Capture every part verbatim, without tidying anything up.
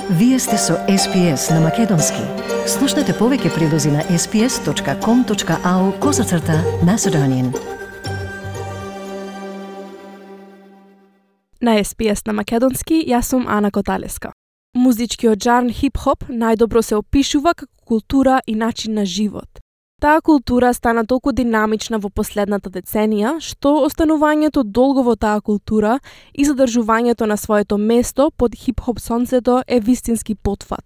Вие сте со Ес Би Ес на Македонски. Слушнете повеќе прилози на ес би ес точка ком точка ау козацрта Macedonian. На Ес Би Ес на Македонски, јас сум Ана Коталеска. Музичкиот жанр хип-хоп најдобро се опишува како култура и начин на живот. Таа култура стана толку динамична во последната деценија, што останувањето долго во таа култура и задржувањето на своето место под хип-хоп сонцето е вистински потфат.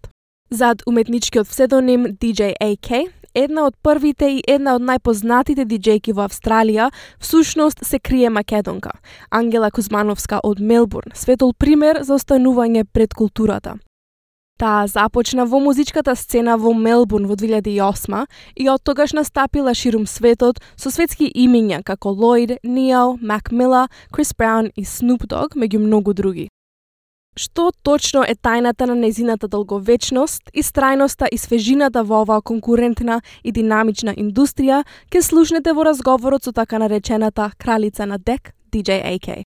Зад уметничкиот псевдоним Ди Џеј Ей Кей, една од првите и една од најпознатите диџејки во Австралија, всушност се крие македонка, Ангела Кузмановска од Мелбурн, светол пример за останување пред културата. Таа започна во музичката сцена во Мелбурн во две илјади и осма и од тогаш настапила ширум светот со светски имиња како Лоид, Нео, Мак Мила, Крис Браун и Снуп Дог, меѓу многу други. Што точно е тајната на нејзината долговечност, истрајноста и свежината во оваа конкурентна и динамична индустрија, ќе слушнете во разговорот со така наречената кралица на дек, Ди Џеј Ей Кей.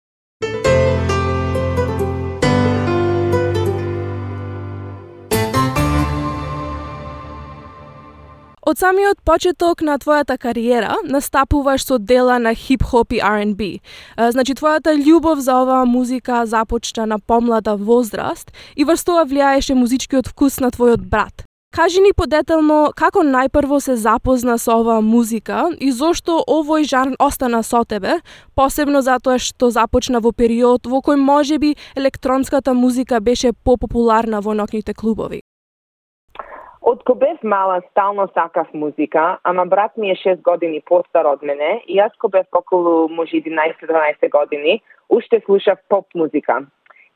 Од самиот почеток на твојата кариера настапуваш со дела на хип-хоп и Ар енд Би. Значи, твојата љубов за оваа музика започна на помлада возраст и врз тоа влијаеше музичкиот вкус на твојот брат. Кажи ни подетелно како најпрво се запозна со оваа музика и зошто овој жанр остана со тебе, посебно затоа што започна во период во кој можеби електронската музика беше попопуларна во ноќните клубови. Од кога бев мала, стално сакав музика, ама брат ми е шест години постар од мене и јас кога бев околу може единаесет-дванаесет години, уште слушав поп музика.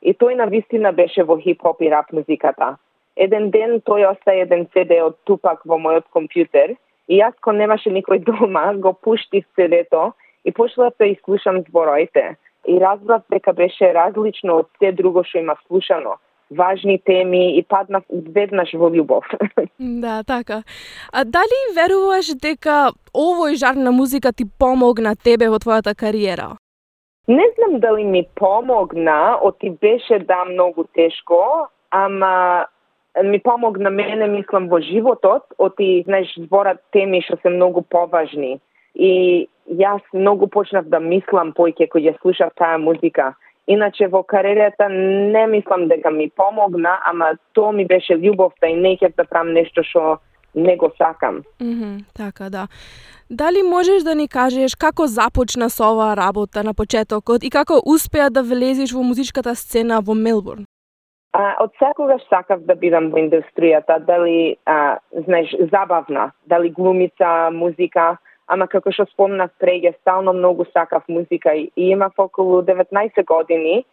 И тој навистина беше во хип-хоп и рап музиката. Еден ден тој остави еден Си Ди од Тупак во мојот компјутер и јас кога немаше никој дома, го пуштив Си Ди-то и почнав да изслушам збороите. И разбрав дека беше различно од се друго што имав слушано. Важни теми и паднав веднаш во љубов. Да, така. А дали веруваш дека овој жанр на музика ти помогна тебе во твојата кариера? Не знам дали ми помогна, оти беше да многу тешко, ама ми помогна мене, мислам, во животот, оти, знаеш, зборат теми што се многу поважни. И јас многу почнав да мислам поиќе кога ја слушав таа музика. Иначе во кариерата не мислам дека ми помогна, ама тоа ми беше љубовта и не ќе да правам нешто што не го сакам. Mm -hmm, така, да. Дали можеш да ни кажеш како започна со оваа работа на почетокот и како успеа да влезеш во музичката сцена во Мелбурн? А, од секогаш сакав да бидам во индустријата, дали, а, знаеш, забавна, дали глумица, музика, ама како што спомнав преѓе, стално многу сакав музика и имав околу деветнаесет години,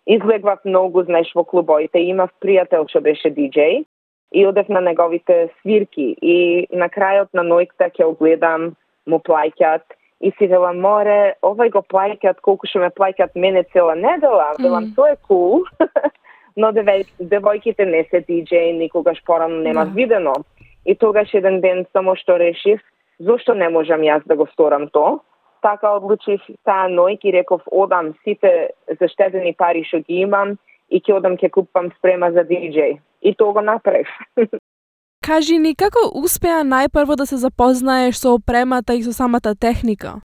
излегвав многу, знаеш, во клубоите, имав пријател што беше диџеј и одев на неговите свирки и на крајот на ноќта ќе огледам, му плаќат и си велам, море, овој го плаќат колку што ме плаќат мене цела недела, велам, mm. тоа е кул, но девојките не се диџеј, никогаш порано нема yeah. видено. И тогаш еден ден само што решив, зошто не можам јас да го сторам то? Така одлучив таа ноќ и реков одам сите заштедени пари што ги имам и ќе одам ќе купам спрема за диџеј. И тоа го направив. Кажи ни, како успеа најпрво да се запознаеш со опремата и со самата техника?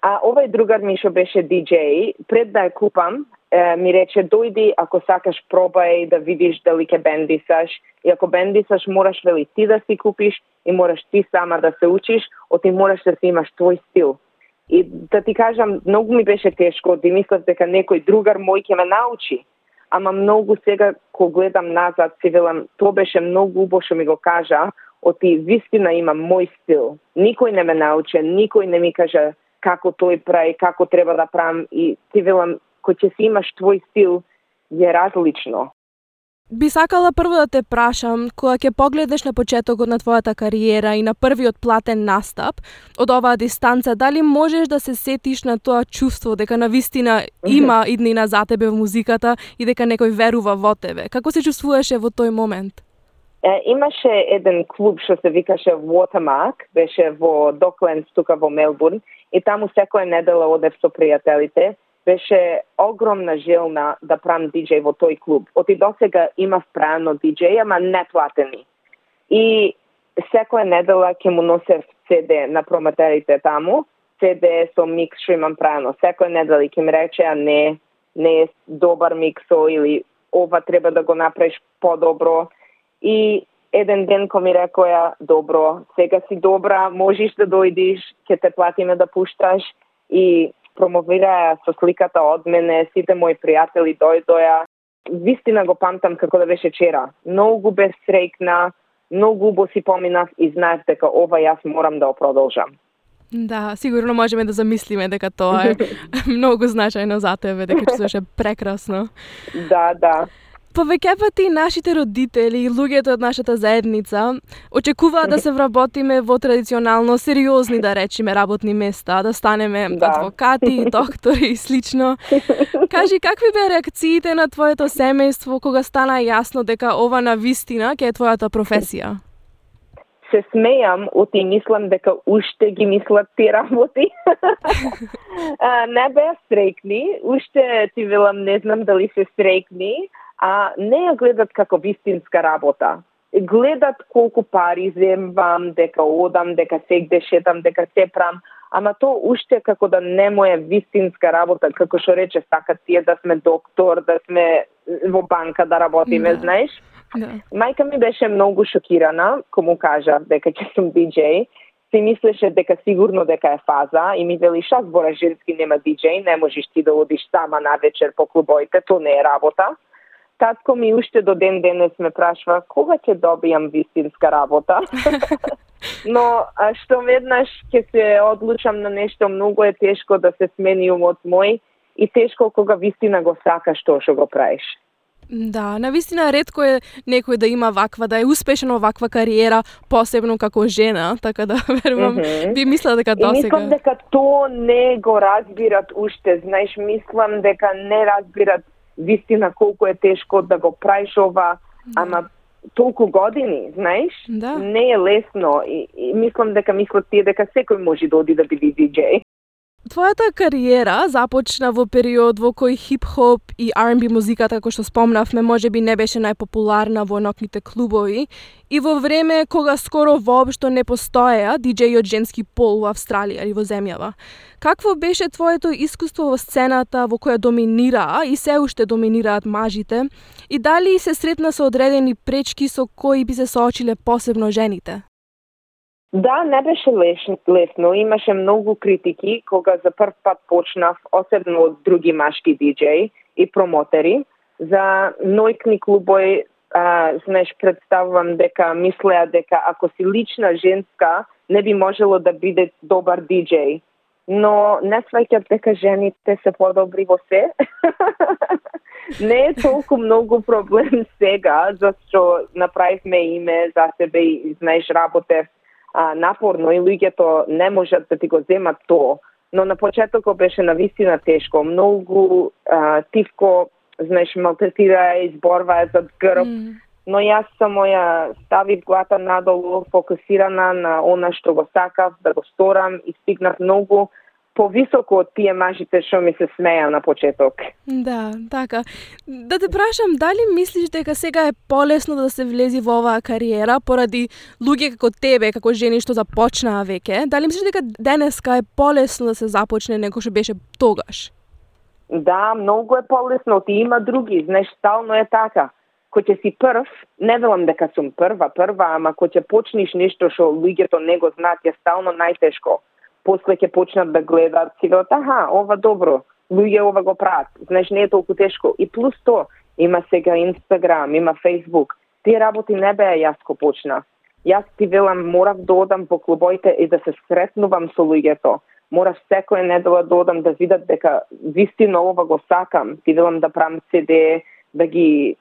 А овој другар ми што беше диџеј, пред да ја купам, е, ми рече дојди, ако сакаш пробај да видиш дали ќе бендисаш. И ако бендисаш, мораш вели ти да си купиш и мораш ти сама да се учиш, оти мораш да си имаш твој стил. И да ти кажам, многу ми беше тешко, да мислев дека некој другар мој ќе ме научи. Ама многу сега, кога гледам назад, си велам, тоа беше многу убаво што ми го кажа, оти вистина имам мој стил. Никој не ме научи, никој не ми кажа како тој прави, како треба да правам и си велам, кој ќе си имаш твој стил, е различно. Би сакала прво да те прашам, кога ќе погледнеш на почетокот на твојата кариера и на првиот платен настап од оваа дистанца, дали можеш да се сетиш на тоа чувство дека навистина има иднина за тебе во музиката и дека некој верува во тебе? Како се чувствуваше во тој момент? Е, имаше еден клуб што се викаше Watermark, беше во Доклендс тука во Мелбурн и таму секоја недела одев со пријателите беше огромна желна да правам диџеј во тој клуб. Оти досега имав правено диџеј, ама не платени. И секоја недела ќе му носев си ди на промотерите таму, си ди со микс што имам правено. Секоја недела ќе ми рече, а не, не е добар миксо или ова треба да го направиш подобро. И еден ден ко ми рекоја, добро, сега си добра, можеш да дојдиш, ќе те платиме да пушташ. И промовираја со сликата од мене, сите мои пријатели дојдоја. Вистина го памтам како да беше вчера. Многу бе среќна, многу убаво си поминав и знаев дека ова јас морам да го продолжам. Да, сигурно можеме да замислиме дека тоа е многу значајно за тебе, дека чувствуваше прекрасно. Да, да. Повеќе пати нашите родители и луѓето од нашата заедница очекуваат да се вработиме во традиционално сериозни, да речеме, работни места, да станеме да. адвокати, доктори и слично. Кажи, какви беа реакциите на твоето семејство кога стана јасно дека ова на вистина ќе е твојата професија? Се смејам, оти мислам дека уште ги мислат ти работи. а, не беа среќни, уште ти велам, не знам дали се среќни, а не ја гледат како вистинска работа. Гледат колку пари земвам, дека одам, дека сегде шетам, дека се прам, ама то уште како да не му е вистинска работа, како што рече, сакат тие да сме доктор, да сме во банка да работиме, да. знаеш? Да. Мајка ми беше многу шокирана, кому кажа дека ќе сум диџеј. Си мислеше дека сигурно дека е фаза и ми вели, ша збора женски нема диџеј, не можеш ти да одиш сама на вечер по клубоите, то не е работа. Татко ми уште до ден денес ме прашва кога ќе добијам вистинска работа. Но а што веднаш ќе се одлучам на нешто, многу е тешко да се смени умот мој и тешко кога вистина го сакаш тоа што го правиш. Да, навистина ретко е некој да има ваква, да е успешен во ваква кариера, посебно како жена, така да верувам, mm-hmm. би мислела дека досега. И мислам дека тоа не го разбират уште, знаеш, мислам дека не разбират вистина колку е тешко да го правиш ова, да. ама толку години, знаеш, да. не е лесно и, и мислам дека мислат тие дека секој може да оди да биде диџеј. Твојата кариера започна во период во кој хип-хоп и Ар енд Би музиката, како што спомнавме, можеби не беше најпопуларна во ноќните клубови и во време кога скоро воопшто не постоеа диџеи од женски пол во Австралија или во земјава. Какво беше твоето искуство во сцената во која доминираа и се уште доминираат мажите и дали се сретна со одредени пречки со кои би се соочиле посебно жените? Да, не беше лесно. Имаше многу критики кога за прв пат почнав, особено од други машки диџеи и промотери. За ноќни клубови, а, знаеш, представувам дека мислеа дека ако си лична женска, не би можело да биде добар диџеј. Но не сваќат дека жените се подобри во се. Не е толку многу проблем сега, зашто направивме име за себе и, знаеш, работев А, напорно и луѓето не можат да ти го земат тоа. Но на почетокот беше навистина тешко. Многу а, тивко, знаеш, малтретира, изборва зад грб. Mm. Но јас само ја ставив глата надолу, фокусирана на она што го сакав, да го сторам и стигнав многу повисоко од тие мажите што ми се смеја на почеток. Да, така. Да те прашам, дали мислиш дека сега е полесно да се влези во оваа кариера поради луѓе како тебе, како жени што започнаа веќе? Дали мислиш дека денеска е полесно да се започне него што беше тогаш? Да, многу е полесно. Ти има други, знаеш, стално е така. Кој ќе си прв, не велам дека сум прва, прва, ама кој ќе почнеш нешто што луѓето не го знаат, е стално најтешко. После ќе почнат да гледат, си велат, аха, ова добро, луѓе ова го прават. Знаеш, не е толку тешко. И плюс то, има сега Инстаграм, има Фейсбук. Тие работи не беа јас ко почнав. Јас ти велам, морав да одам по клубоите и да се сретнувам со луѓето. Морав секоја недела да одам да видат дека вистина ова го сакам. Ти велам да правам си ди, да ги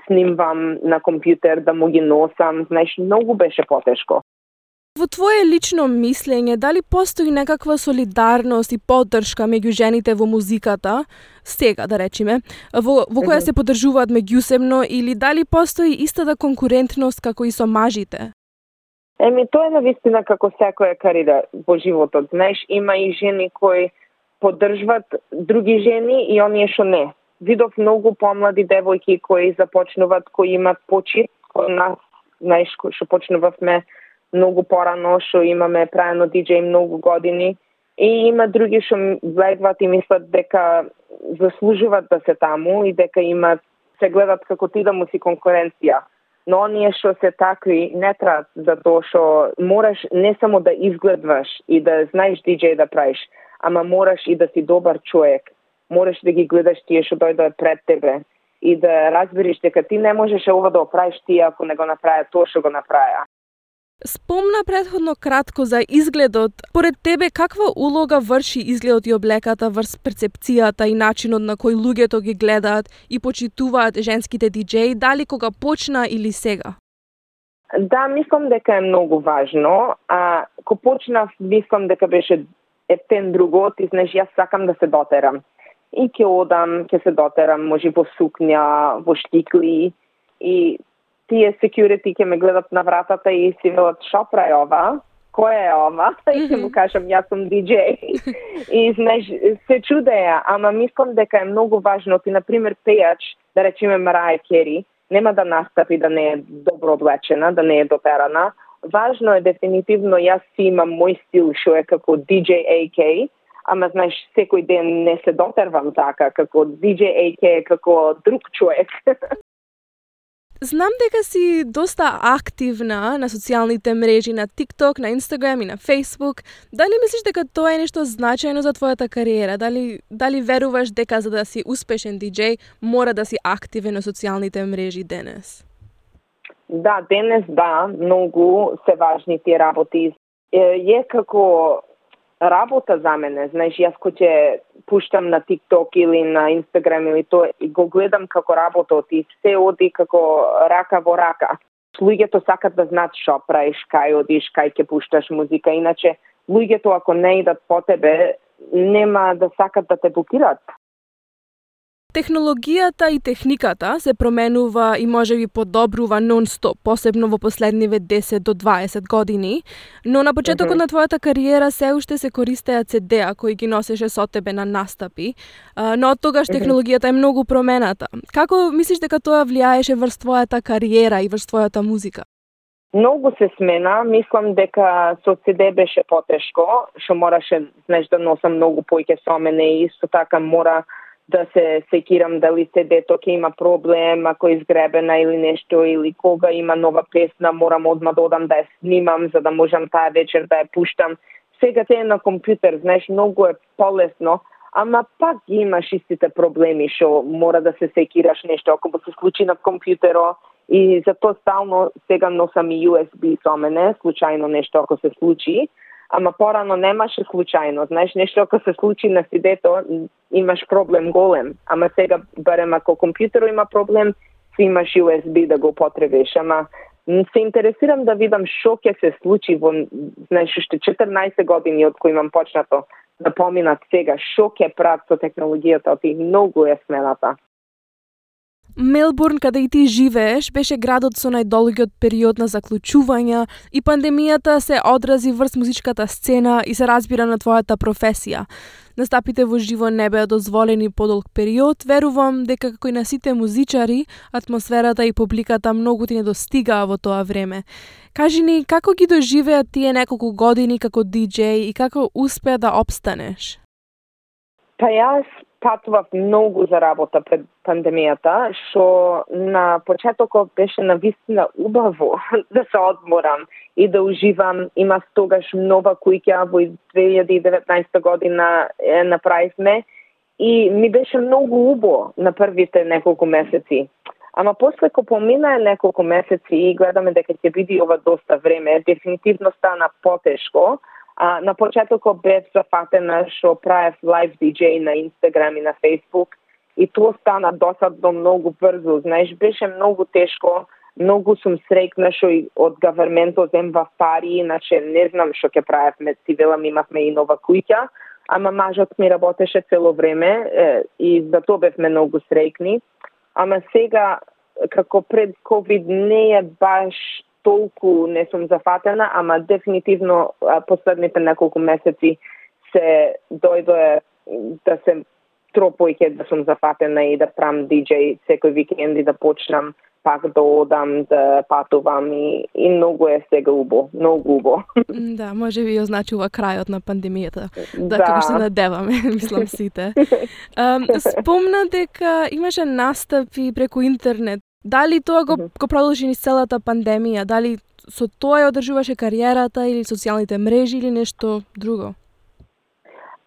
снимвам на компјутер, да му ги носам. Знаеш, многу беше потешко. Во твое лично мислење, дали постои некаква солидарност и поддршка меѓу жените во музиката, сега да речеме, во, во која се поддржуваат меѓусебно, или дали постои истата конкурентност како и со мажите? Еми, тоа е навистина како секоја кариера во животот. Знаеш, има и жени кои поддржват други жени и оние што не. Видов многу помлади девојки кои започнуваат, кои имат почит од нас, знаеш, што почнувавме многу порано, што имаме правено диџеј многу години, и има други што влегват и мислат дека заслужуваат да се таму и дека имат, се гледат како ти да му си конкуренција. Но оние што се такви не траат, затоа што мораш не само да изгледваш и да знаеш диџеј да правиш, ама мораш и да си добар човек. Мораш да ги гледаш тие што дојдоа пред тебе и да разбереш дека ти не можеш ова да оправиш тие ако не го направи тоа што го направи. Спомна претходно кратко за изгледот. Поред тебе, каква улога врши изгледот и облеката врз перцепцијата и начинот на кој луѓето ги гледаат и почитуваат женските диџеи, дали кога почна или сега? Да, мислам дека е многу важно. А кога почнав, мислам дека беше ептен другот, и знаеш, јас сакам да се дотерам. И ќе одам, ќе се дотерам, може во сукња, во штикли, и тие security ќе ме гледат на вратата и си велат, шо прави ова? Кој е ова? И ќе му кажам, јас сум диџеј. И знаеш, се чудеја, ама мислам дека е многу важно. Ти, например, пејач, да речеме Мараја Кери, нема да настапи да не е добро облечена, да не е дотерана. Важно е дефинитивно, јас си имам мој стил, што е како диџеј ей кей, ама знаеш, секој ден не се дотервам така, како диџеј ей кей, како друг човек. Знам дека си доста активна на социјалните мрежи, на TikTok, на Instagram и на Facebook. Дали мислиш дека тоа е нешто значајно за твојата кариера? Дали, дали веруваш дека за да си успешен диџеј мора да си активен на социјалните мрежи денес? Да, денес да, многу се важни тие работи. Е, е како работа за мене, знаеш, јас кој ќе пуштам на TikTok или на Instagram или тоа, и го гледам како работа, и се оди како рака во рака. Луѓето сакат да знаат шо правиш, кај одиш, кај ќе пушташ музика, иначе луѓето ако не идат по тебе, нема да сакат да те блокираат. Технологијата и техниката се променува и можеби подобрува нон-стоп, посебно во последниве десет до дваесет години, но на почетокот mm-hmm. на твојата кариера се уште се користеа си ди-а кои ги носеше со тебе на настапи, но од тогаш технологијата е многу промената. Како мислиш дека тоа влијаеше врз твојата кариера и врз твојата музика? Многу се смена, мислам дека со си ди беше потешко, што мораше, знаеш, да носам многу поиќе со мене и исто така мора да се секирам дали си ди-то ќе има проблем, ако е изгребена или нешто, или кога има нова песна, морам одма да одам да ја снимам, за да можам таа вечер да ја пуштам. Сега се е на компјутер, знаеш, многу е полесно, ама пак имаш истите проблеми, што мора да се секираш нешто, ако се случи на компјутеро, и затоа стално сега носам и ю ес би со мене, случајно нешто ако се случи. Ама порано немаше случајно, знаеш, нешто ако се случи на си ди-то, имаш проблем голем. Ама сега, барем ако компјутеро има проблем, си имаш ю ес би да го потребиш. Ама се интересирам да видам шо ќе се случи во, знаеш, уште четрнаесет години од кои имам почнато да поминат сега, шо ќе прават со технологијата, и многу е смената. Мелбурн, каде и ти живееш, беше градот со најдолгиот период на заклучувања и пандемијата се одрази врз музичката сцена и се разбира на твојата професија. Настапите во живо не беа дозволени подолг период, верувам дека како и на сите музичари, атмосферата и публиката многу ти не достигаа во тоа време. Кажи ни, како ги доживеа тие неколку години како диџеј и како успеа да опстанеш? Па јас патував многу за работа пред пандемијата, што на почетокот беше навистина убаво да се одморам и да уживам. Има тогаш нова куќа во две илјади и деветнаесета година е, направивме и ми беше многу убаво на првите неколку месеци. Ама после ко поминаа неколку месеци и гледаме дека ќе биде ова доста време, дефинитивно стана потешко. А, на почетокот бев зафатена што правев лайв диџеј на Instagram и на Facebook и тоа стана досадно многу брзо. Знаеш, беше многу тешко, многу сум среќна што и од гаверментот земва пари, иначе не знам што ќе правевме, си велам имавме и нова куќа, ама мажот ми работеше цело време е, и за тоа бевме многу среќни. Ама сега, како пред ковид, не е баш толку не сум зафатена, ама дефинитивно последните неколку месеци се дојдоe да се тропојке да сум зафатена и да правам диџеј секој викенд и да почнам пак да одам, да патувам и, и многу е сега убо, многу убо. Да, може би означува крајот на пандемијата. Да, да. како што надеваме, мислам сите. Um, спомна дека имаше настапи преку интернет. Дали тоа го, го продолжи низ целата пандемија? Дали со тоа ја одржуваше кариерата или социјалните мрежи или нешто друго?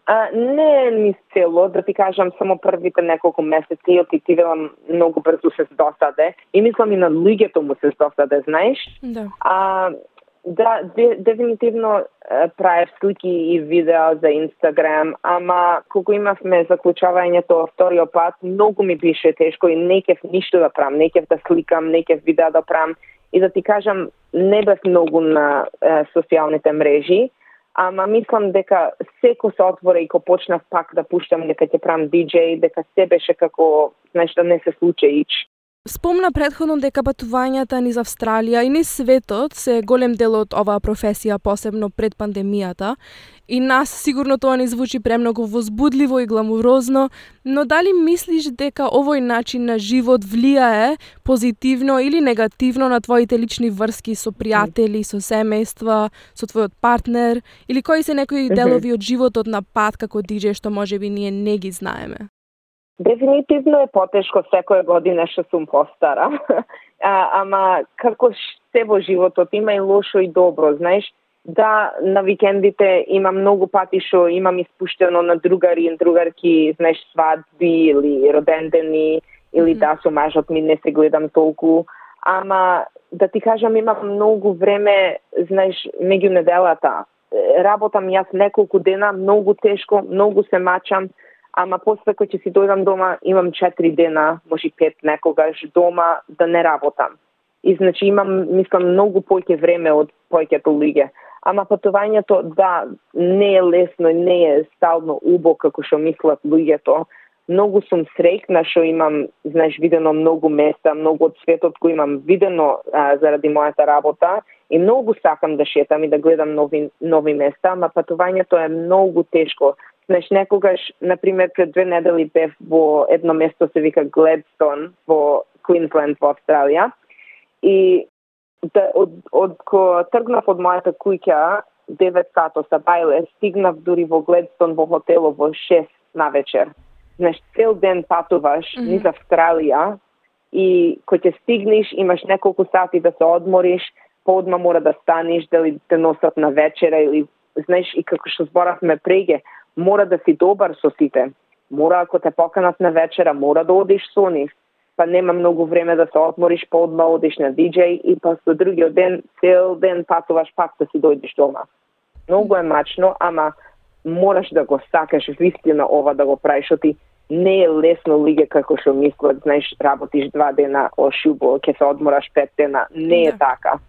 А, не низ цело, да ти кажам, само првите неколку месеци отитивелам многу брзо се досаде и мислам и на луѓето му се досаде, знаеш? Да. А, да, де, дефинитивно правев слики и видео за Инстаграм, ама кога имавме заклучувањето вториот пат, многу ми беше тешко и не кев ништо да правам, не кев да сликам, не кев видео да правам и да ти кажам, не бев многу на е, социјалните мрежи. Ама мислам дека секо се отвора и кога почнав пак да пуштам дека ќе правам диџеј, дека се беше како нешто не се случи ич. Спомна претходно дека патувањата низ Австралија и низ светот се голем дел од оваа професија, посебно пред пандемијата. И нас сигурно тоа ни звучи премногу возбудливо и гламурозно, но дали мислиш дека овој начин на живот влијае позитивно или негативно на твоите лични врски со пријатели, со семејства, со твојот партнер, или кои се некои делови од животот на пат како диџеј што можеби ние не ги знаеме? Дефинитивно е потешко секоја година што сум постара. а, ама како се во животот има и лошо и добро, знаеш. Да, на викендите имам многу пати што имам испуштено на другари и другарки, знаеш, свадби или родендени, или mm-hmm. да, со мажот ми не се гледам толку. Ама, да ти кажам, имам многу време, знаеш, меѓу неделата. Работам јас неколку дена, многу тешко, многу се мачам, ама после кога ќе си дојдам дома, имам четири дена, може пет некогаш дома да не работам. И значи имам, мислам, многу поќе време од појќето луѓе. Ама патувањето, да, не е лесно и не е стално убо како што мислат луѓето. Многу сум среќна што имам, знаеш, видено многу места, многу од светот кој имам видено а, заради мојата работа и многу сакам да шетам и да гледам нови, нови места, ама патувањето е многу тешко. Знаеш, некогаш, например, пред две недели бев во едно место се вика Гледстон во Квинсленд во Австралија и да, од, од ко тргнав од мојата куќа девет сато са бајле, стигнав дури во Гледстон во хотело во шест на вечер. Знаеш, цел ден патуваш mm-hmm. низ Австралија и кога ќе стигнеш имаш неколку сати да се одмориш, поодма мора да станеш, дали те носат на вечера или знаеш и како што зборавме преге, мора да си добар со сите. Мора ако те поканат на вечера, мора да одиш со нив. Па нема многу време да се одмориш, поодма одиш на диџеј и па со другиот ден, цел ден патуваш пак да си дојдеш дома. Многу е мачно, ама мораш да го сакаш вистина ова да го правиш, оти не е лесно луѓе како што мислат, знаеш, работиш два дена ошубо, ќе се одмораш пет дена, не е да. така.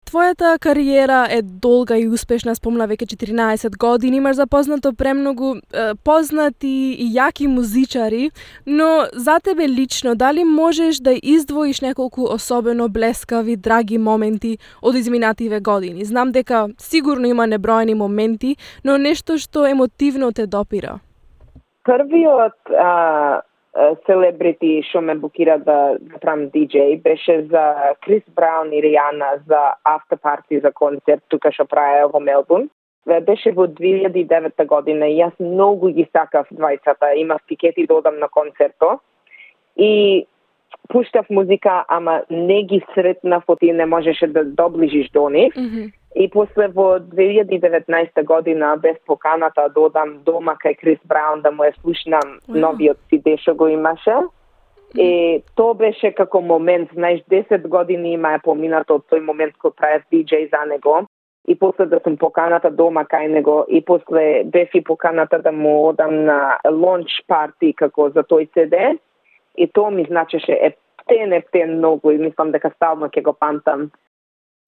Твојата кариера е долга и успешна, спомна веќе четиринаесет години, имаш запознато премногу е, познати и јаки музичари, но за тебе лично, дали можеш да издвоиш неколку особено блескави, драги моменти од изминативе години? Знам дека сигурно има неброени моменти, но нешто што емотивно те допира. Првиот а, селебрити што ме букира да, да правам диџеј беше за Крис Браун и Ријана за after party за концерт тука што правеа во Мелбурн. Беше во две илјади и девета година и јас многу ги сакав двајцата, имав тикети да одам на концерто и пуштав музика, ама не ги сретнав, оти не можеше да доближиш до нив. Mm-hmm. И после во две илјади и деветнаесета година без поканата да одам дома кај Крис Браун да му ја слушнам wow. новиот си де што го имаше. Mm-hmm. И тоа беше како момент, знаеш, десет години има е поминато од тој момент кој правев диџеј за него. И после да сум поканата дома кај него и после бев и поканата да му одам на лонч парти како за тој си де. И тоа ми значеше ептен, ептен многу и мислам дека стално ќе го памтам.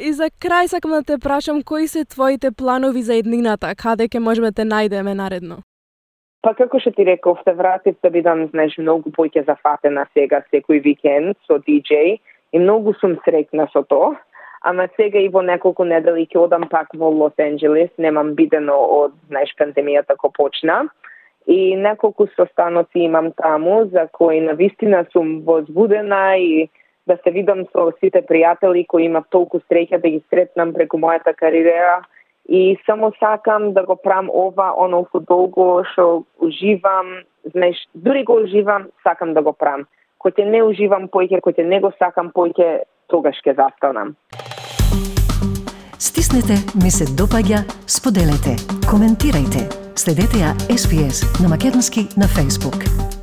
И за крај сакам да те прашам, кои се твоите планови за еднината, каде ќе можеме да те најдеме наредно? Па како што ти реков, се вратив да бидам, знаеш, многу поќе зафатена сега секој викенд со диџеј и многу сум среќна со тоа. Ама сега и во неколку недели ќе одам пак во Лос Анџелес, немам бидено од, знаеш, пандемијата ко почна. И неколку состаноци имам таму за кои навистина сум возбудена и да се видам со сите пријатели кои имав толку среќа да ги сретнам преку мојата кариера. И само сакам да го прам ова, онофу долго што уживам, знаеш, дури го уживам, сакам да го прам. Кој ќе не уживам поќе, кој ќе не го сакам поќе, тогаш ќе застанам. Стиснете, ми се допаѓа, споделете, коментирајте. Следете ја Ес Би Ес на македонски на Facebook.